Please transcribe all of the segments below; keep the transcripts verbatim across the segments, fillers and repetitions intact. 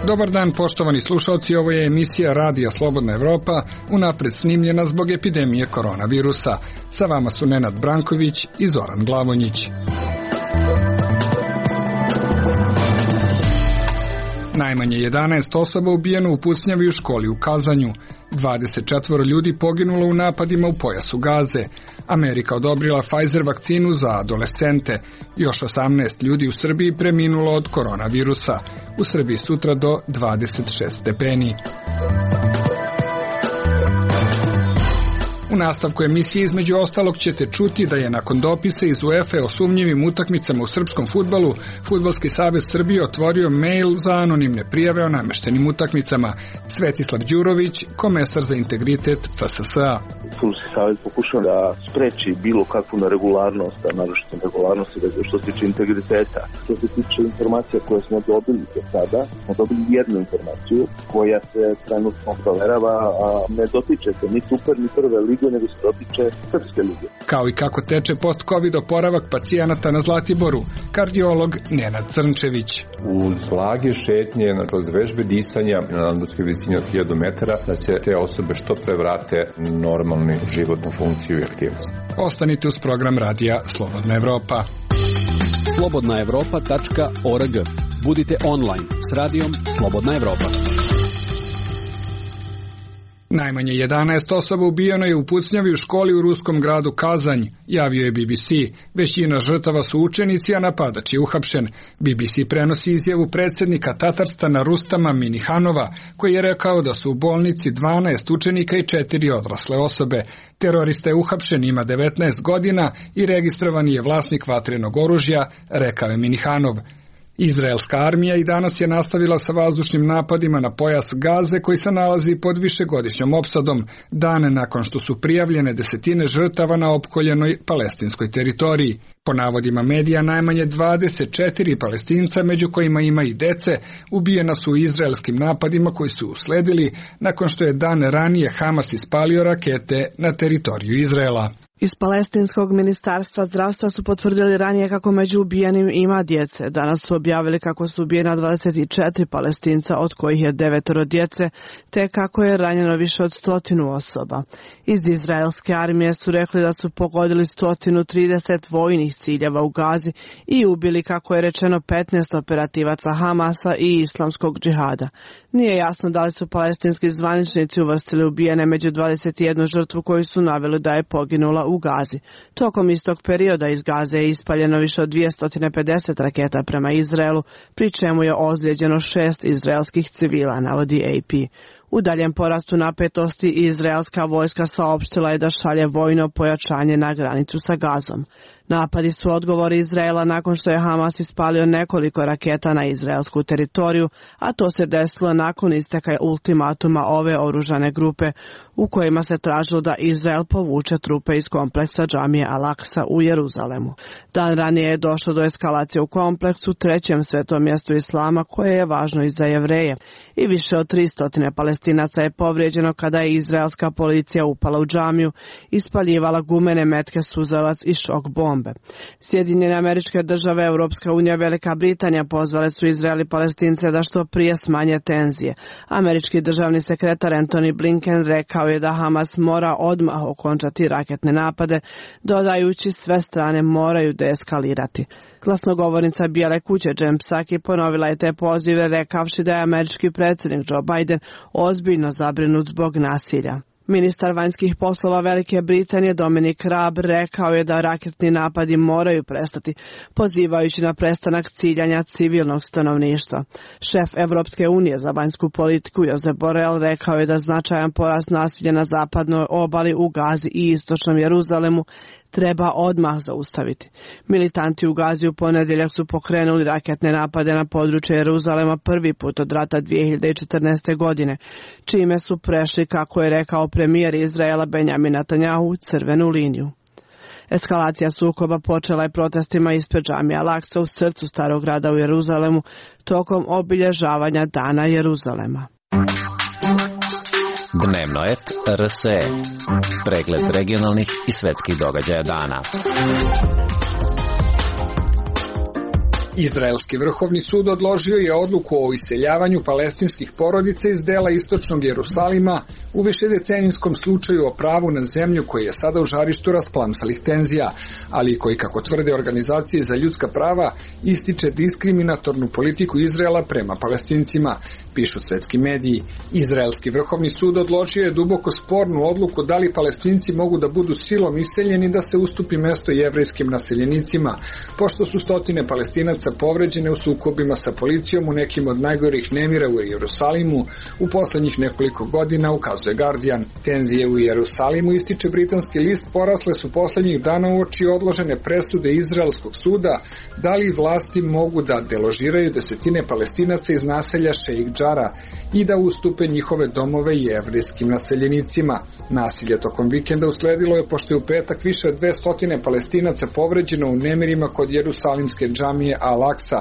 Dobar dan, poštovani slušalci, ovo je emisija Radija Slobodna Evropa, unapred snimljena zbog epidemije koronavirusa. Sa vama su Nenad Branković i Zoran Glavonjić. Najmanje jedanaest osoba ubijeno u pucnjavi u školi u Kazanju. dvadeset četvoro ljudi poginulo u napadima u pojasu Gaze. Amerika odobrila Pfizer vakcinu za adolescente. Još osamnaest ljudi u Srbiji preminulo od koronavirusa. U Srbiji sutra do dvadeset šest stepeni. U nastavku emisije između ostalog ćete čuti da je nakon dopisa iz UEFA o sumnjivim utakmicama u srpskom fudbalu, Fudbalski savez Srbije otvorio mail za anonimne prijave o nameštenim utakmicama. Svetislav Đurović, komesar za integritet F S S A. Fudbalski savez pokušao da spreči bilo kakvu neregularnost, a naročito neregularnosti što se tiče integriteta. Što se tiče informacija koje smo dobili do sada, smo dobili jednu informaciju koja se trenutno proverava, a ne dotiče se ni super, ni prve lige, nego se dotiče srpske lige. Kao i kako teče post-covid oporavak pacijenata na Zlatiboru, kardiolog Nenad Crnčević. Uz blage šetnje, kroz vežbe disanja na nadmorskoj visini od hiljadu metara, da se te osobe što pre vrate normalnu životnu funkciju i aktivnost. Ostanite uz program Radija Slobodna Evropa. slobodna evropa tačka org. Budite online s radijom Slobodna Evropa. Najmanje jedanaest osoba ubijeno je u pucnjavi u školi u ruskom gradu Kazanj, javio je B B C. Većina žrtava su učenici, a napadač je uhapšen. B B C prenosi izjavu predsjednika Tatarstana Rustama Minihanova, koji je rekao da su u bolnici dvanaest učenika i četiri odrasle osobe. Terorista je uhapšen, ima devetnaest godina i registrovan je vlasnik vatrenog oružja, rekao je Minihanov. Izraelska armija i danas je nastavila sa vazdušnim napadima na pojas Gaze koji se nalazi pod višegodišnjom opsadom, dane nakon što su prijavljene desetine žrtava na opkoljenoj palestinskoj teritoriji. Po navodima medija, najmanje dvadeset četiri Palestinca, među kojima ima i dece, ubijena su u izraelskim napadima koji su usledili nakon što je dan ranije Hamas ispalio rakete na teritoriju Izraela. Iz Palestinskog ministarstva zdravstva su potvrdili ranije kako među ubijenim ima djece. Danas su objavili kako su ubijena dvadeset četiri Palestinca, od kojih je devetoro djece, te kako je ranjeno više od stotinu osoba. Iz izraelske armije su rekli da su pogodili sto trideset vojnih ciljeva u Gazi i ubili, kako je rečeno, petnaest operativaca Hamasa i islamskog džihada. Nije jasno da li su palestinski zvaničnici uvrstili ubijene među dvadeset jednu žrtvu koju su naveli da je poginula u Gazi. Tokom istog perioda iz Gaze je ispaljeno više od dvjesto pedeset raketa prema Izraelu, pri čemu je ozlijeđeno šest izraelskih civila, navodi A P. U daljem porastu napetosti izraelska vojska saopštila je da šalje vojno pojačanje na granicu sa Gazom. Napadi su odgovor Izraela nakon što je Hamas ispalio nekoliko raketa na izraelsku teritoriju, a to se desilo nakon isteka ultimatuma ove oružane grupe u kojima se tražilo da Izrael povuče trupe iz kompleksa džamije Al-Aqsa u Jeruzalemu. Dan ranije je došlo do eskalacije u kompleksu, trećem svetom mjestu islama, koje je važno i za Jevreje, i više od tristo Palestinaca je povrijeđeno kada je izraelska policija upala u džamiju, ispaljivala gumene metke, suzavac i šok bombe. Sjedinjene Američke Države, Europska unija, Velika Britanija pozvale su Izrael i Palestince da što prije smanje tenzije. Američki državni sekretar Antony Blinken rekao je da Hamas mora odmah okončati raketne napade, dodajući sve strane moraju deeskalirati. Glasnogovornica Bijele kuće Jen Psaki ponovila je te pozive, rekavši da je američki predsjednik Joe Biden ozbiljno zabrinut zbog nasilja. Ministar vanjskih poslova Velike Britanije Dominic Raab rekao je da raketni napadi moraju prestati, pozivajući na prestanak ciljanja civilnog stanovništva. Šef Evropske unije za vanjsku politiku Josep Borrell rekao je da značajan porast nasilja na zapadnoj obali, u Gazi i istočnom Jeruzalemu treba odmah zaustaviti. Militanti u Gazi u ponedjeljak su pokrenuli raketne napade na područje Jeruzalema prvi put od rata dvije hiljade četrnaeste. godine, čime su prešli, kako je rekao premijer Izraela Benjamin Netanjahu, crvenu liniju. Eskalacija sukoba počela je protestima ispred džamije Al-Aqsa u srcu starog grada u Jeruzalemu tokom obilježavanja Dana Jeruzalema. Dnevno et R S E. Pregled regionalnih i svetskih događaja dana. Izraelski vrhovni sud odložio je odluku o iseljavanju palestinskih porodica iz dela istočnog Jerusalima u višedecenijskom slučaju o pravu na zemlju koji je sada u žarištu rasplamsalih tenzija, ali koji, kako tvrde organizacije za ljudska prava, ističe diskriminatornu politiku Izraela prema Palestincima, pišu svetski mediji. Izraelski vrhovni sud odložio je duboko spornu odluku da li Palestinci mogu da budu silom iseljeni da se ustupi mesto jevrejskim naseljenicima, pošto su stotine Palestinaca povređene u sukobima sa policijom u nekim od najgorih nemira u Jerusalimu u poslednjih nekoliko godina, ukazuje Guardian. Tenzije u Jerusalimu, ističe britanski list, porasle su poslednjih dana uoči odložene presude izraelskog suda da li vlasti mogu da deložiraju desetine Palestinaca iz naselja Šeik Džara i da ustupe njihove domove jevrejskim naseljenicima. Nasilje tokom vikenda usledilo je pošto je u petak više od dvesta Palestinaca povređeno u nemirima kod jerusalimske džamije Al-Aksa,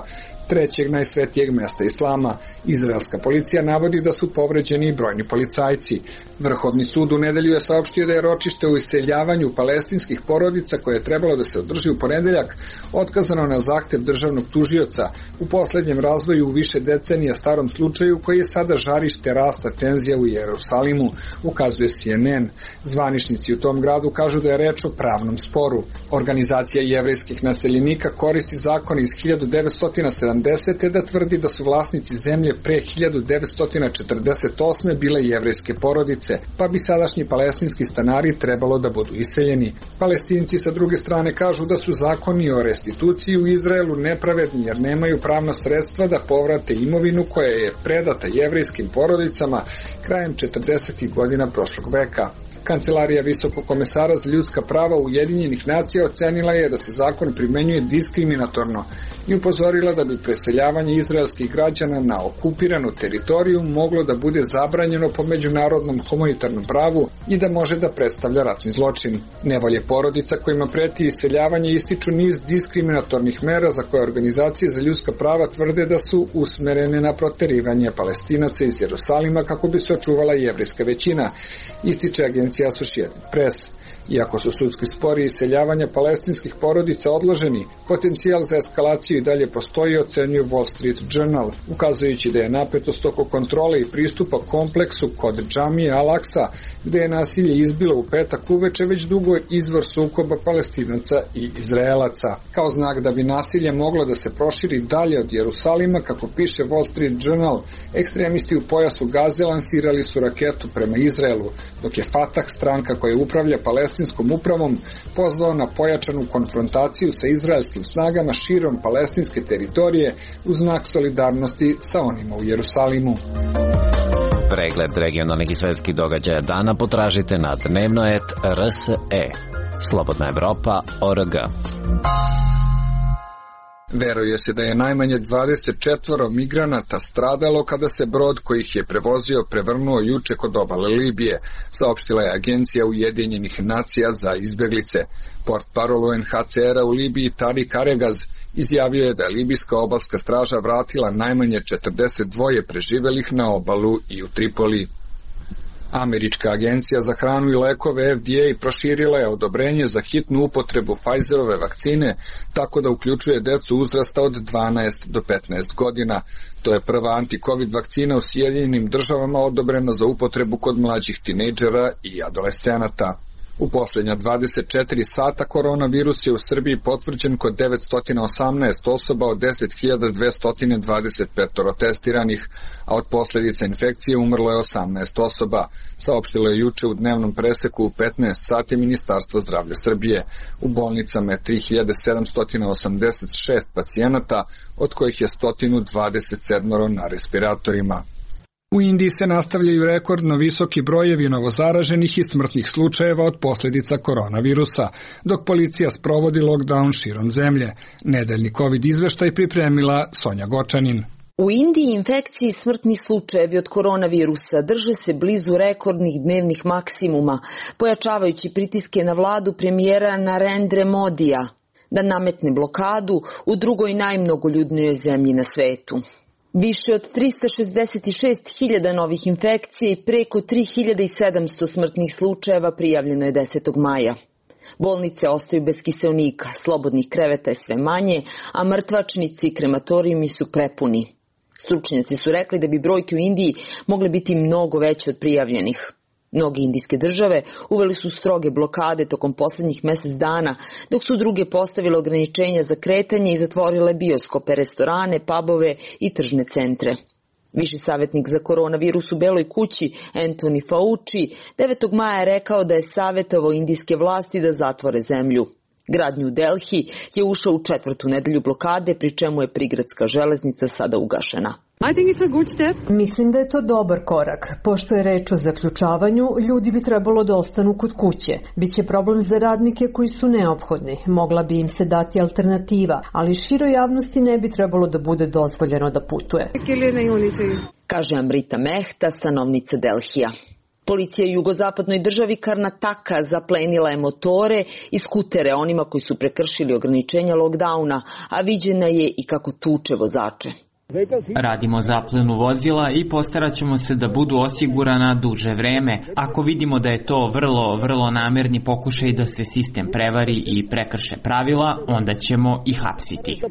trećeg najsvetijeg mesta islama. Izraelska policija navodi da su povređeni i brojni policajci. Vrhovni sud u nedelju je saopštio da je ročište u iseljavanju palestinskih porodica koje je trebalo da se održi u ponedeljak otkazano na zahtev državnog tužioca u poslednjem razvoju u više decenija starom slučaju koji je sada žarište rasta tenzija u Jerusalimu, ukazuje C N N. Zvaničnici u tom gradu kažu da je reč o pravnom sporu. Organizacija jevrejskih naseljenika koristi zakon iz hiljadu devetsto sedamdesete da tvrdi da su vlasnici zemlje pre hiljadu devetsto četrdeset osme bile jevrejske porodice, pa bi sadašnji palestinski stanari trebalo da budu iseljeni. Palestinci sa druge strane kažu da su zakoni o restituciji u Izraelu nepravedni jer nemaju pravna sredstva da povrate imovinu koja je predata jevrejskim porodicama krajem četrdesetih godina prošlog veka. Kancelarija Visokog komesara za ljudska prava Ujedinjenih nacija ocenila je da se zakon primenjuje diskriminatorno i upozorila da bi preseljavanje izraelskih građana na okupiranu teritoriju moglo da bude zabranjeno po međunarodnom humanitarnom pravu i da može da predstavlja ratni zločin. Nevolje porodica kojima preti iseljavanje ističu niz diskriminatornih mera za koje organizacije za ljudska prava tvrde da su usmerene na proterivanje Palestinaca iz Jerusalima kako bi se očuvala jevrejska većina, ističe agencija Associated Press. Iako su sudski spori i iseljavanja palestinskih porodica odloženi, potencijal za eskalaciju i dalje postoji, ocenjuje Wall Street Journal, ukazujući da je napetost oko kontrole i pristupa kompleksu kod džamije Al-Aksa, gde je nasilje izbilo u petak uveče, već dugo izvor sukoba Palestinaca i Izraelaca. Kao znak da bi nasilje moglo da se proširi dalje od Jerusalima, kako piše Wall Street Journal, ekstremisti u pojasu Gaze lansirali su raketu prema Izraelu, dok je Fatah, stranka koja upravlja palestinskom upravom, pozvao na pojačanu konfrontaciju sa izraelskim snagama širom palestinske teritorije u znak solidarnosti sa onima u Jerusalimu. Pregled regionalnih i svetskih događaja dana potražite na dnevnoet R S E. Slobodna Evropa O R G. Veruje se da je najmanje dvadeset četvoro migranata stradalo kada se brod koji ih je prevozio prevrnuo juče kod obale Libije, saopštila je Agencija Ujedinjenih nacija za izbeglice. Portparol U N H C R-a u Libiji Tariq Aregaz izjavio je da je libijska obalska straža vratila najmanje četrdeset dva preživelih na obalu i u Tripoli. Američka agencija za hranu i lekove F D A proširila je odobrenje za hitnu upotrebu Pfizerove vakcine, tako da uključuje decu uzrasta od dvanaest do petnaest godina. To je prva anti-covid vakcina u Sjedinjenim državama odobrena za upotrebu kod mlađih tinejdžera i adolescenata. U posljednja dvadeset četiri sata koronavirus je u Srbiji potvrđen kod devetsto osamnaest osoba od deset hiljada dvesta dvadeset pet testiranih, a od posljedica infekcije umrlo je osamnaest osoba, saopštilo je juče u dnevnom preseku u petnaest sati Ministarstvo zdravlja Srbije. U bolnicama je tri hiljade sedamsto osamdeset šest pacijenata, od kojih je sto dvadeset sedam na respiratorima. U Indiji se nastavljaju rekordno visoki brojevi novozaraženih i smrtnih slučajeva od posljedica koronavirusa, dok policija sprovodi lockdown širom zemlje. Nedeljni COVID izveštaj pripremila Sonja Gočanin. U Indiji infekcije i smrtni slučajevi od koronavirusa drže se blizu rekordnih dnevnih maksimuma, pojačavajući pritiske na vladu premijera Narendre Modija da nametne blokadu u drugoj najmnogoljudnijoj zemlji na svetu. Više od trista šezdeset šest hiljada novih infekcija i preko tri hiljade sedamsto smrtnih slučajeva prijavljeno je desetog maja. Bolnice ostaju bez kiseonika, slobodnih kreveta je sve manje, a mrtvačnici i krematorijumi su prepuni. Stručnjaci su rekli da bi brojke u Indiji mogle biti mnogo veće od prijavljenih. Mnoge indijske države uveli su stroge blokade tokom poslednjih mesec dana, dok su druge postavile ograničenja za kretanje i zatvorile bioskope, restorane, pubove i tržne centre. Viši savjetnik za koronavirus u Beloj kući, Anthony Fauci, devetog maja je rekao da je savjetovao indijske vlasti da zatvore zemlju. Grad New Delhi je ušao u četvrtu nedelju blokade, pri čemu je prigradska železnica sada ugašena. Mislim da je to dobar korak. Pošto je reč o zaključavanju, ljudi bi trebalo da ostanu kod kuće. Biće problem za radnike koji su neophodni. Mogla bi im se dati alternativa, ali široj javnosti ne bi trebalo da bude dozvoljeno da putuje. Kaže Amrita Mehta, stanovnica Delhija. Policija u jugozapadnoj državi Karnataka zaplenila je motore i skutere onima koji su prekršili ograničenja lockdowna, a viđena je i kako tuče vozače. Radimo zaplenu vozila i postarat ćemo se da budu osigurana duže vreme. Ako vidimo da je to vrlo, vrlo namerni pokušaj da se sistem prevari i prekrše pravila, onda ćemo i hapsiti.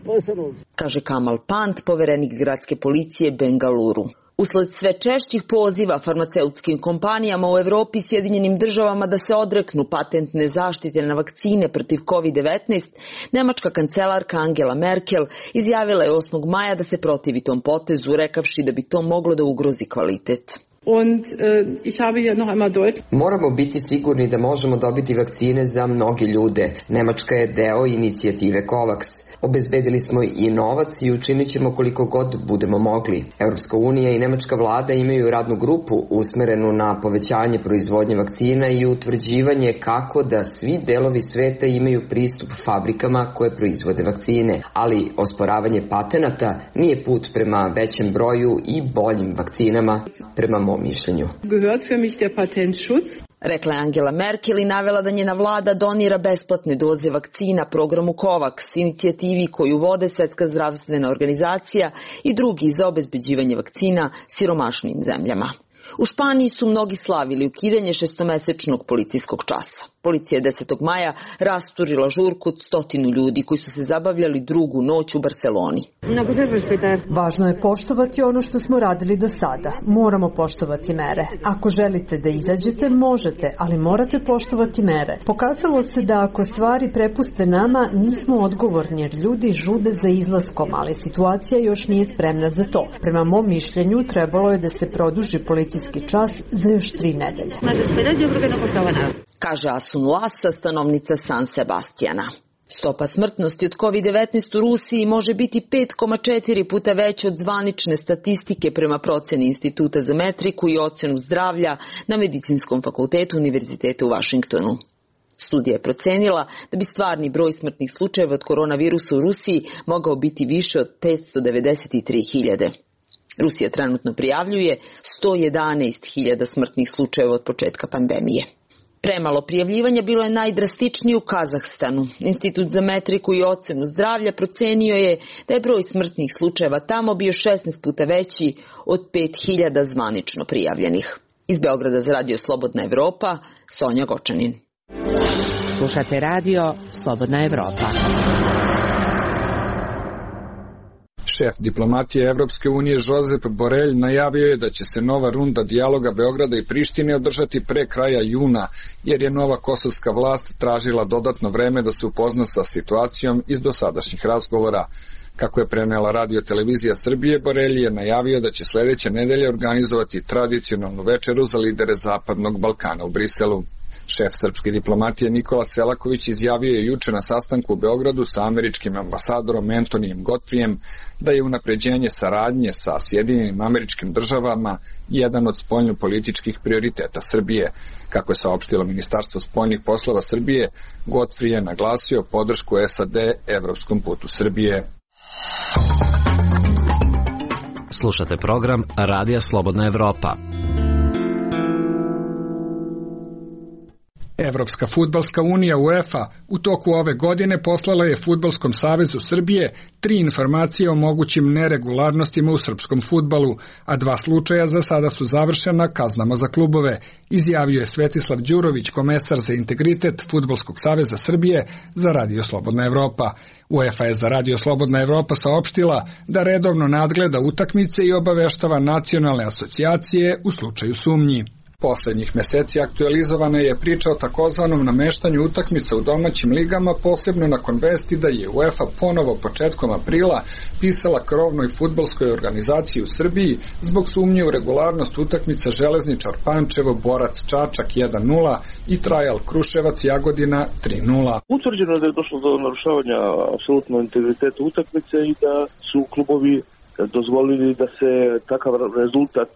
Kaže Kamal Pant, poverenik gradske policije Bengaluru. Usled sve češćih poziva farmaceutskim kompanijama u Evropi i Sjedinjenim državama da se odreknu patentne zaštite na vakcine protiv kovid devetnaest, nemačka kancelarka Angela Merkel izjavila je osmog maja da se protivi tom potezu, rekavši da bi to moglo da ugrozi kvalitet. Und, uh, ich habe hier noch einmal deutlich... Moramo biti sigurni da možemo dobiti vakcine za mnoge ljude. Nemačka je deo inicijative COVAX. Obezbedili smo i novac i učinit ćemo koliko god budemo mogli. Europska unija i nemačka vlada imaju radnu grupu usmerenu na povećanje proizvodnje vakcina i utvrđivanje kako da svi delovi sveta imaju pristup fabrikama koje proizvode vakcine. Ali osporavanje patenata nije put prema većem broju i boljim vakcinama, prema mom mišljenju. Gehört für mich der Patentschutz. Rekla je Angela Merkel i navela da njena vlada donira besplatne doze vakcina programu COVAX, inicijativi koju vode Svetska zdravstvena organizacija i drugi za obezbeđivanje vakcina siromašnim zemljama. U Španiji su mnogi slavili ukidanje šestomesečnog policijskog časa. Policija je desetog maja rasturila žurku od stotinu ljudi koji su se zabavljali drugu noć u Barceloni. Važno je poštovati ono što smo radili do sada. Moramo poštovati mere. Ako želite da izađete, možete, ali morate poštovati mere. Pokazalo se da ako stvari prepuste nama, nismo odgovorni jer ljudi žude za izlaskom, ali situacija još nije spremna za to. Prema mom mišljenju, trebalo je da se produži policijski čas za još tri nedelje. Kaže Asun Lasa, stanovnica San Sebastijana. Stopa smrtnosti od kovid devetnaest u Rusiji može biti pet zarez četiri puta veća od zvanične statistike prema proceni Instituta za metriku i ocenu zdravlja na Medicinskom fakultetu Univerziteta u Vašingtonu. Studija je procenila da bi stvarni broj smrtnih slučajeva od koronavirusa u Rusiji mogao biti više od petsto devedeset tri hiljade. Rusija trenutno prijavljuje sto jedanaest hiljada smrtnih slučajeva od početka pandemije. Premalo prijavljivanja bilo je najdrastičnije u Kazahstanu. Institut za metriku i ocenu zdravlja procenio je da je broj smrtnih slučajeva tamo bio šesnaest puta veći od pet hiljada zvanično prijavljenih. Iz Beograda za radio Slobodna Evropa, Sonja Gočanin. Slušate radio Slobodna Evropa. Šef diplomatije Evropske unije Josep Borelj najavio je da će se nova runda dijaloga Beograda i Prištine održati pre kraja juna, jer je nova kosovska vlast tražila dodatno vreme da se upozna sa situacijom iz dosadašnjih razgovora. Kako je prenela Radio Televizija Srbije, Borelj je najavio da će sledeće nedelje organizovati tradicionalnu večeru za lidere Zapadnog Balkana u Briselu. Šef srpske diplomatije Nikola Selaković izjavio je juče na sastanku u Beogradu sa američkim ambasadorom Antonijem Godfrijem da je unapređenje saradnje sa Sjedinjenim Američkim Državama jedan od spoljnopolitičkih prioriteta Srbije. Kako je saopštilo Ministarstvo spoljnih poslova Srbije, Godfrij je naglasio podršku S A D evropskom putu Srbije. Slušate program Radija Slobodna Evropa. Evropska fudbalska unija UEFA u toku ove godine poslala je Fudbalskom savezu Srbije tri informacije o mogućim neregularnostima u srpskom fudbalu, a dva slučaja za sada su završena kaznama za klubove, izjavio je Svetislav Đurović, komesar za integritet Fudbalskog saveza Srbije za Radio Slobodna Evropa. UEFA je za Radio Slobodna Evropa saopštila da redovno nadgleda utakmice i obaveštava nacionalne asocijacije u slučaju sumnji. Poslednjih meseci aktualizovana je priča o takozvanom nameštanju utakmica u domaćim ligama, posebno nakon vesti da je UEFA ponovo početkom aprila pisala krovnoj fudbalskoj organizaciji u Srbiji zbog sumnje u regularnost utakmica Železničar Pančevo, Borac Čačak jedan nula i Trajal Kruševac Jagodina tri nula. Utvrđeno je da je došlo do narušavanja apsolutno integriteta utakmice i da su klubovi dozvolili da se takav rezultat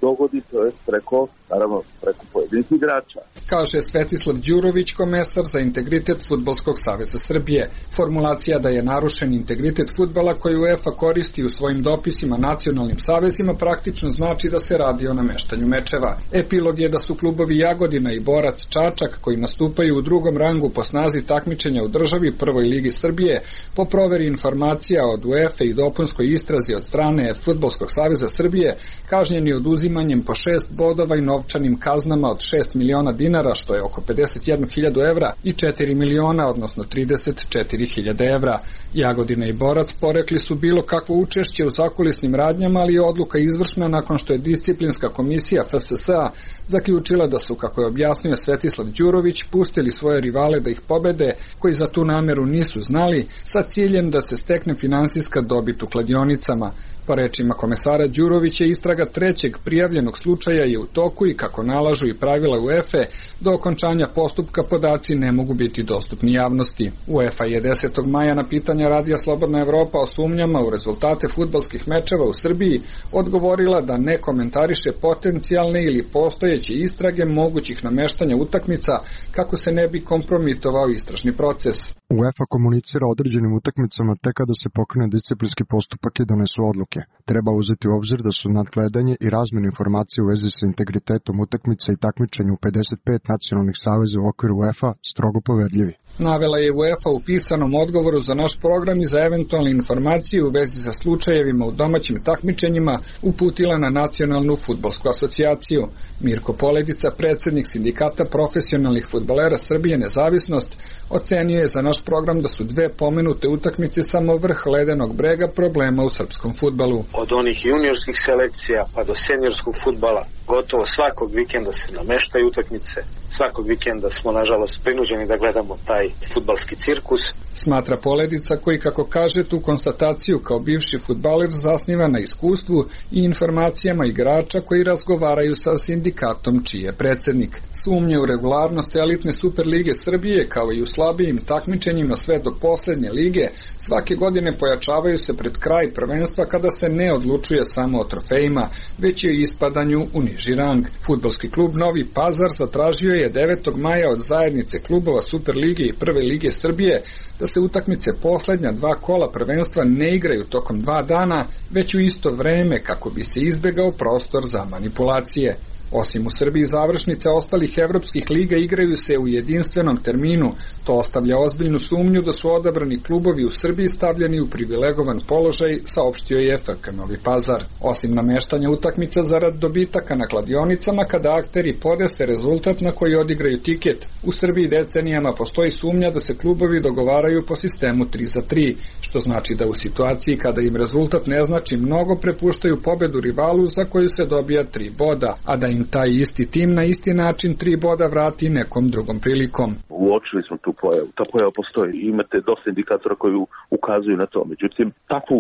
dogodi, to je preko, naravno, preko pojedinih igrača. Kaže Svetislav Đurović, komesar za integritet Fudbalskog saveza Srbije. Formulacija da je narušen integritet fudbala koju UEFA koristi u svojim dopisima nacionalnim savezima praktično znači da se radi o nameštanju mečeva. Epilog je da su klubovi Jagodina i Borac Čačak, koji nastupaju u drugom rangu po snazi takmičenja u državi Prvoj ligi Srbije, po proveri informacija od UEFA i dopunskoj istrazi od strane Fudbalskog saveza Srbije, kažnjeni oduzimanjem po šest bodova i novčanim kaznama od šest miliona dinara, što je oko pedeset jednu hiljadu evra, i četiri miliona, odnosno trideset četiri hiljade evra. Jagodina i Borac porekli su bilo kakvo učešće u zakulisnim radnjama, ali je odluka izvršna nakon što je disciplinska komisija F S S A zaključila da su, kako je objasnio Svetislav Đurović, pustili svoje rivale da ih pobede, koji za tu nameru nisu znali, sa ciljem da se stekne finansijska dobit u kladionicama. Po rečima komesara Đurovića, istraga trećeg prijavljenog slučaja je u toku i, kako nalažu i pravila UEFA, do okončanja postupka podaci ne mogu biti dostupni javnosti. UEFA je desetog maja na pitanja Radija Slobodna Evropa o sumnjama u rezultate fudbalskih mečeva u Srbiji odgovorila da ne komentariše potencijalne ili postojeće istrage mogućih nameštanja utakmica kako se ne bi kompromitovao istražni proces. UEFA komunicira određenim utakmicama tek kada se pokrene disciplinski postupak i donesu odluke. Treba uzeti u obzir da su nadgledanje i razmjena informacije u vezi sa integritetom utakmica i takmičenju u pedeset pet nacionalnih saveza u okviru UEFA strogo poverljivi. Navela je UEFA u pisanom odgovoru za naš program i za eventualne informacije u vezi sa slučajevima u domaćim takmičenjima uputila na Nacionalnu fudbalsku asocijaciju. Mirko Poledica, predsednik Sindikata profesionalnih fudbalera Srbije Nezavisnost, ocenio je za naš program da su dve pomenute utakmice samo vrh ledenog brega problema u srpskom fudbalu. Od onih juniorskih selekcija pa do seniorskog fudbala gotovo svakog vikenda se nameštaju utakmice. Svakog vikenda smo, nažalost, prinuđeni da gledamo taj fudbalski cirkus. Smatra Poledica, koji, kako kaže, tu konstataciju kao bivši fudbaler zasniva na iskustvu i informacijama igrača koji razgovaraju sa sindikatom čiji je predsednik. Sumnje u regularnost elitne Superlige Srbije, kao i u slabijim takmičenjima sve do poslednje lige, svake godine pojačavaju se pred kraj prvenstva kada se ne odlučuje samo o trofejima, već i o ispadanju u niži rang. Fudbalski klub Novi Pazar zatražio je devetog maja od zajednice klubova Superlige i Prve lige Srbije da se utakmice poslednja dva kola prvenstva ne igraju tokom dva dana, već u isto vreme kako bi se izbegao prostor za manipulacije. Osim u Srbiji, završnice ostalih evropskih liga igraju se u jedinstvenom terminu. To ostavlja ozbiljnu sumnju da su odabrani klubovi u Srbiji stavljeni u privilegovan položaj, saopštio je F K Novi Pazar. Osim nameštanja utakmica zarad dobitaka na kladionicama, kada akteri podese rezultat na koji odigraju tiket, u Srbiji decenijama postoji sumnja da se klubovi dogovaraju po sistemu tri za tri, što znači da u situaciji kada im rezultat ne znači mnogo prepuštaju pobedu rivalu za koju se dobija tri boda, a da im taj isti tim na isti način tri boda vrati nekom drugom prilikom. Uočili smo tu pojavu. Ta pojava postoji. Imate dosta indikatora koji ukazuju na to. Međutim, takvu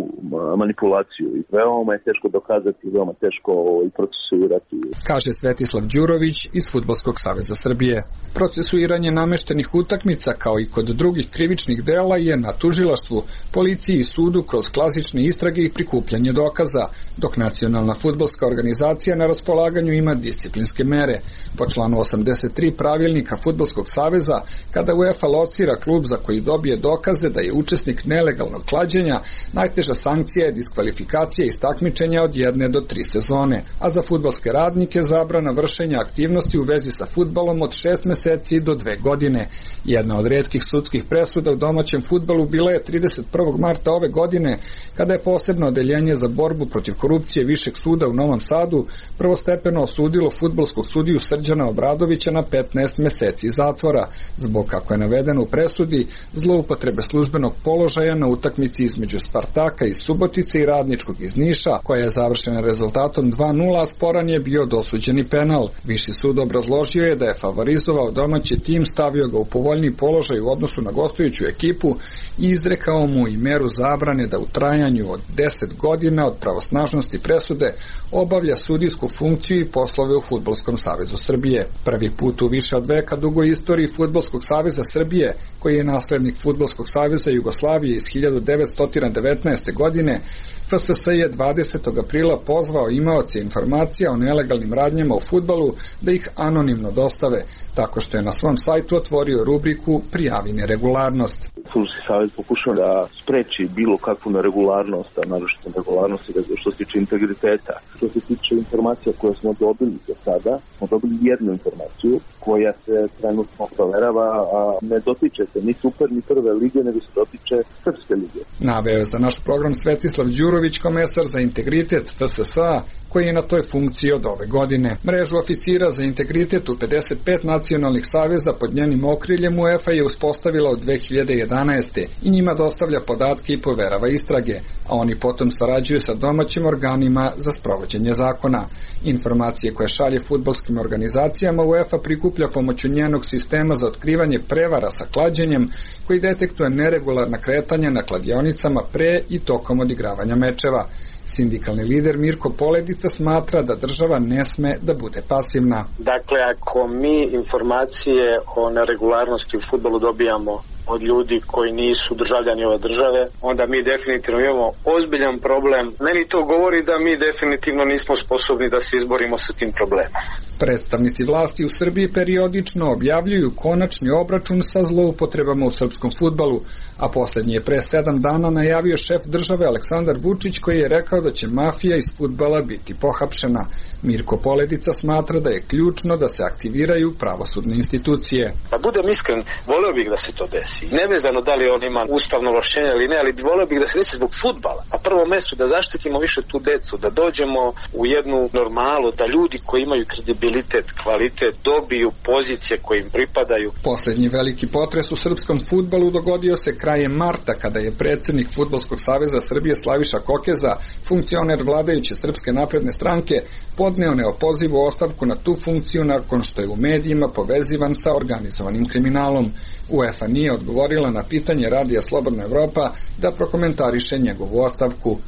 manipulaciju veoma je teško dokazati, veoma teško i procesuirati. Kaže Svetislav Đurović iz Fudbalskog saveza Srbije. Procesuiranje nameštenih utakmica, kao i kod drugih krivičnih dela, je na tužilaštvu, policiji i sudu kroz klasične istrage i prikupljanje dokaza, dok Nacionalna fudbalska organizacija na raspolaganju ima disciplinske mere. Po članu osamdeset tri pravilnika Fudbalskog saveza, kada UEFA locira klub za koji dobije dokaze da je učesnik nelegalnog klađenja, najteža sankcija je diskvalifikacija iz takmičenja od jedne do tri sezone, a za fudbalske radnike zabrana vršenja aktivnosti u vezi sa fudbalom od šest meseci do dve godine. Jedna od retkih sudskih presuda u domaćem fudbalu bila je trideset prvog marta ove godine, kada je posebno odeljenje za borbu protiv korupcije Višeg suda u Novom Sadu prvostepeno osudilo fudbalskog sudiju Srđana Obradovića na petnaest meseci zatvora, zbog, kako je navedeno u presudi, zloupotrebe službenog položaja na utakmici između Spartaka iz Subotice i Radničkog iz Niša, koja je završena rezultatom dva nula, a sporan je bio dosuđeni penal. Viši sud obrazložio je da je favorizovao domaći tim, stavio ga u povoljniji položaj u odnosu na gostujuću ekipu i izrekao mu i meru zabrane da u trajanju od deset godina od pravosnažnosti presude obavlja sudijsku funkciju i poslove u Fudbalskom savezu Srbije. Prvi put u više od veka dugoj istoriji Fudbalskog saveza Srbije, koji je naslednik Fudbalskog saveza Jugoslavije iz hiljadu devetsto devetnaeste. godine, F S S je dvadesetog aprila pozvao imaoce informacija o nelegalnim radnjama u fudbalu da ih anonimno dostave, tako što je na svom sajtu otvorio rubriku Prijavi neregularnost. Fudbalski savez pokušao da spreči bilo kakvu neregularnost, a naročito neregularnost što se tiče integriteta. Što se tiče informacija koje smo dobili do sada, smo dobili jednu informaciju koja se trenutno proverava, a ne dotiče se ni super ni prve lige, nego se dotiče Srpske lige. Naveo je za naš program Svetislav Đurović, komesar za integritet F S S-a, koji je na toj funkciji od ove godine. Mrežu oficira za integritet u pedeset pet nacionalnih saveza pod njenim okriljem UEFA je uspostavila od dve hiljade jedanaeste. i njima dostavlja podatke i poverava istrage, a oni potom sarađuju sa domaćim organima za sprovođenje zakona. Informacije koje šalje fudbalskim organizacijama UEFA prikuplja pomoću njenog sistema za otkrivanje prevara sa klađenjem, koji detektuje neregularna kretanja na kladionicama pre i tokom odigravanja mečeva. Sindikalni lider Mirko Poledica smatra da država ne sme da bude pasivna. Dakle, ako mi informacije o neregularnosti u fudbalu dobijamo od ljudi koji nisu državljani ove države, onda mi definitivno imamo ozbiljan problem. Meni to govori da mi definitivno nismo sposobni da se izborimo sa tim problemom. Predstavnici vlasti u Srbiji periodično objavljuju konačni obračun sa zloupotrebama u srpskom fudbalu, a poslednji je pre sedam dana najavio šef države Aleksandar Vučić, koji je rekao da će mafija iz fudbala biti pohapšena. Mirko Poledica smatra da je ključno da se aktiviraju pravosudne institucije. Da budem iskren, voleo bih da se to desi. Nevezano da li on ima ustavno ovlašćenje ili ne, ali voleo bih da se desi zbog fudbala. Na prvom mestu da zaštitimo više tu decu, da dođemo u jednu normalu, da ljudi koji imaju kredibilitet, kvalitet, dobiju pozicije koje im pripadaju. Poslednji veliki potres u srpskom fudbalu dogodio se krajem marta, kada je predsednik Fudbalskog saveza Srbije Slaviša Kokeza, funkcioner vladajuće Srpske napredne stranke, podneo neopozivu ostavku na tu funkciju nakon što je u medijima povezivan sa organizovanim kriminalom. UEFA nije odgovorila na pitanje Radija Slobodna Evropa da prokomentariše njegovu ostavku.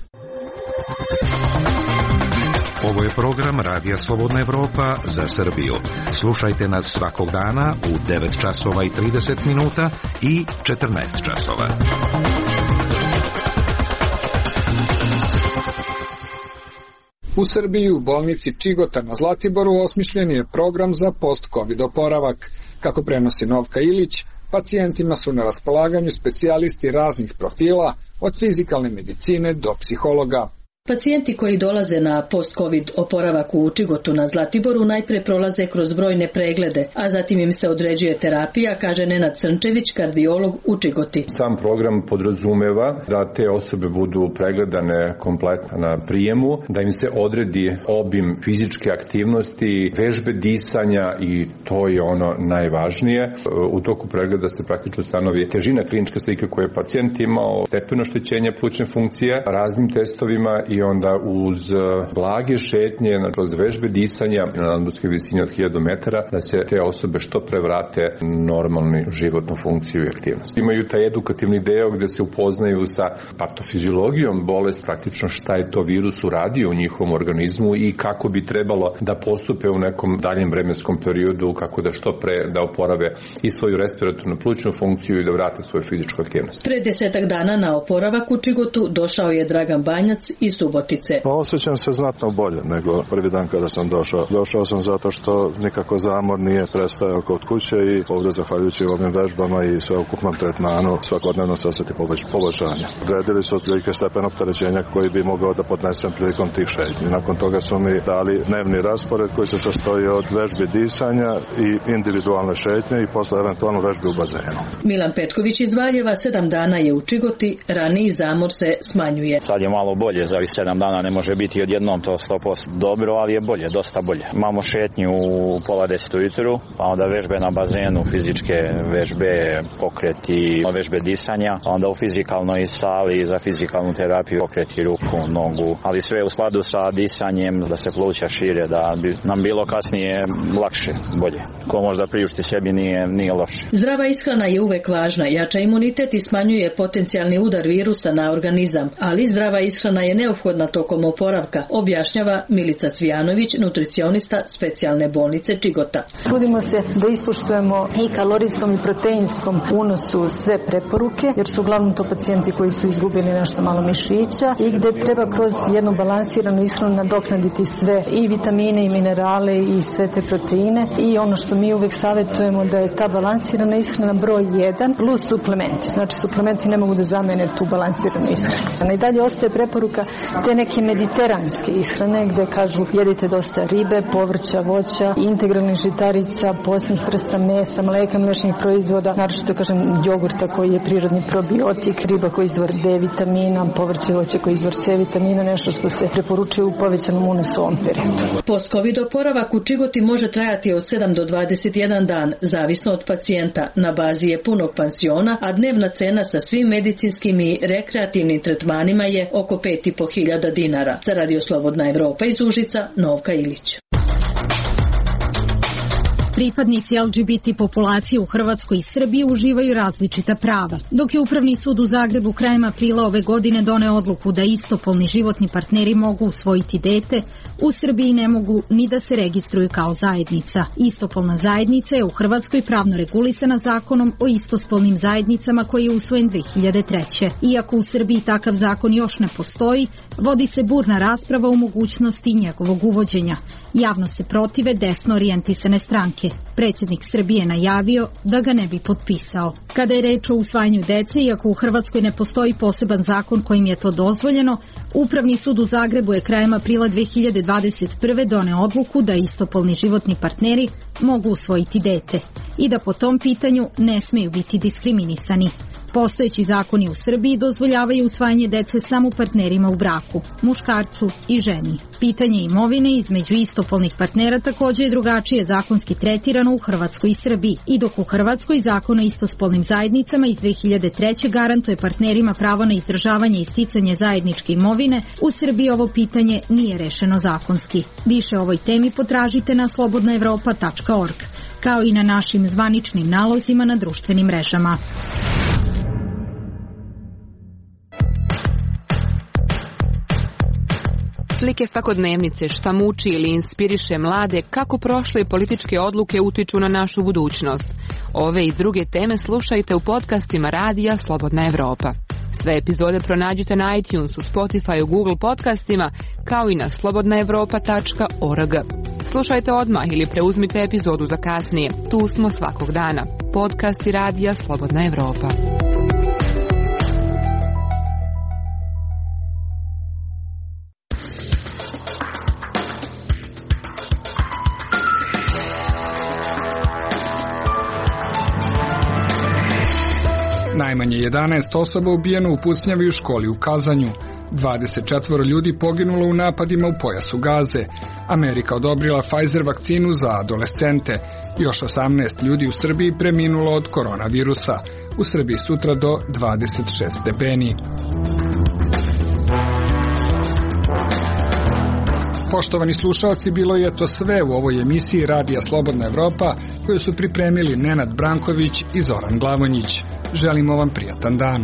Ovo je program Radija Slobodna Evropa za Srbiju. Slušajte nas svakog dana u devet časova i trideset minuta i četrnaest časova. U Srbiji u bolnici Čigota na Zlatiboru osmišljen je program za post-covid oporavak. Kako prenosi Novka Ilić, pacijentima su na raspolaganju specijalisti raznih profila, od fizikalne medicine do psihologa. Pacijenti koji dolaze na post-covid oporavak u Čigotu na Zlatiboru najpre prolaze kroz brojne preglede, a zatim im se određuje terapija, kaže Nenad Crnčević, kardiolog u Čigoti. Sam program podrazumeva da te osobe budu pregledane kompletno na prijemu, da im se odredi obim fizičke aktivnosti, vežbe disanja i to je ono najvažnije. U toku pregleda se praktično stanovi težina kliničke slike koje je pacijent imao, stepen oštećenja plućne funkcije, raznim testovima i onda uz blage šetnje, kroz vežbe disanja na nadmorskoj visini od hiljadu metara, da se te osobe što pre vrate normalnu životnu funkciju i aktivnost. Imaju taj edukativni deo gde se upoznaju sa patofiziologijom bolest, praktično šta je to virus uradio u njihovom organizmu i kako bi trebalo da postupe u nekom daljem vremenskom periodu, kako da što pre da oporave i svoju respiratornu plućnu funkciju i da vrate svoju fizičku aktivnost. Pre desetak dana na oporavak u Čigotu došao je Dragan Banjac iz Subotice. Osjećam se znatno bolje nego prvi dan kada sam došao. Došao sam zato što nikako zamor nije prestajao kod kuće i ovdje zahvaljujući ovim vežbama i sveukupnom tretmanu svakodnevno se osjeti poboljšanje. Odredili su otprilike stepen opterećenja koji bi mogao da podnesem prilikom tih šetnji. Nakon toga su mi dali dnevni raspored koji se sastoji od vežbi disanja i individualne šetnje i posle eventualno vežbi u bazenu. Milan Petković iz Valjeva sedam dana je u Čigoti, raniji zamor se smanjuje. Sad je malo bolje, za ovih sedam dana ne može biti odjednom to sto posto dobro, ali je bolje, dosta bolje. Imamo šetnju u pola deset ujutru, pa onda vežbe na bazenu, fizičke vežbe, pokreti, vežbe disanja, onda u fizikalnoj sali za fizikalnu terapiju pokreti ruku, nogu, ali sve u skladu sa disanjem, da se pluća šire, da bi nam bilo kasnije lakše, bolje. Ko možda priušti sebi nije, nije loše. Zdrava ishrana je uvek važna, jača imunitet i smanjuje potencijalni udar virusa na organizam, ali zdrava ishrana je neophodna tokom oporavka, objašnjava Milica Cvijanović, nutricionista specijalne bolnice Čigota. Trudimo se da ispoštujemo i kalorijskom i proteinskom unosu sve preporuke, jer su uglavnom to pacijenti koji su izgubili nešto malo mišića i gde treba kroz jednu balansiranu ishranu nadoknaditi sve i vitamine i minerale i sve te proteine i ono što mi uvek savjetujemo da je ta balansirana ishrana broj jedan plus suplementi. Znači suplementi ne mogu da zamene tu balansiranu ishranu. I dalje ostaje preporuka te neke mediteranske ishrane gde kažu jedite dosta ribe, povrća, voća, integralnih žitarica, posnih vrsta mesa, mleka, mlečnih proizvoda, naročito kažem jogurta koji je prirodni probiotik, riba koji je izvor D vitamina, povrće i voće koji je izvor C vitamina, nešto što se preporučuje u povećanom unosu u ovom periodu. Post-Covid oporavak u Čigoti može trajati od sedam do dvadeset jedan dan, zavisno od pacijenta. Na bazi je punog pansiona, a dnevna cena sa svim medicinskim i rekreativnim tretmanima je oko pet i po hiljada dinara. Za Radio Slobodna Evropa iz Užica, Novka Ilić. Pripadnici L G B T populacije u Hrvatskoj i Srbiji uživaju različita prava. Dok je Upravni sud u Zagrebu krajem aprila ove godine doneo odluku da istopolni životni partneri mogu usvojiti dete, u Srbiji ne mogu ni da se registruju kao zajednica. Istopolna zajednica je u Hrvatskoj pravno regulisana zakonom o istospolnim zajednicama koji je usvojen dve hiljade treće. Iako u Srbiji takav zakon još ne postoji, vodi se burna rasprava o mogućnosti njegovog uvođenja. Javno se protive desno orijentisane stranke. Predsjednik Srbije najavio da ga ne bi potpisao. Kada je reč o usvajanju dece, iako u Hrvatskoj ne postoji poseban zakon kojim je to dozvoljeno, Upravni sud u Zagrebu je krajem aprila dve hiljade dvadeset prve doneo odluku da istopolni životni partneri mogu usvojiti dete i da po tom pitanju ne smeju biti diskriminisani. Postojeći zakoni u Srbiji dozvoljavaju usvajanje dece samo partnerima u braku, muškarcu i ženi. Pitanje imovine između istopolnih partnera također je drugačije zakonski tretirano u Hrvatskoj i Srbiji. I dok u Hrvatskoj zakon o istospolnim zajednicama iz dve hiljade treće garantuje partnerima pravo na izdržavanje i sticanje zajedničke imovine, u Srbiji ovo pitanje nije rešeno zakonski. Više o ovoj temi potražite na slobodna evropa tačka org, kao i na našim zvaničnim nalozima na društvenim mrežama. Slike svakodnevnice, šta muči ili inspiriše mlade, kako prošle političke odluke utiču na našu budućnost. Ove i druge teme slušajte u podcastima Radija Slobodna Evropa. Sve epizode pronađite na iTunesu, Spotifyu, Google podcastima, kao i na slobodna evropa tačka org. Slušajte odmah ili preuzmite epizodu za kasnije. Tu smo svakog dana. Podcasti Radija Slobodna Evropa. Najmanje jedanaest osoba ubijeno u pucnjavi u školi u Kazanju. dvadeset četvoro ljudi poginulo u napadima u pojasu Gaze. Amerika odobrila Pfizer vakcinu za adolescente. Još osamnaest ljudi u Srbiji preminulo od koronavirusa. U Srbiji sutra do dvadeset šest stepeni. Poštovani slušalci, bilo je to sve u ovoj emisiji Radija Slobodna Evropa koju su pripremili Nenad Branković i Zoran Glavonjić. Želimo vam prijatan dan.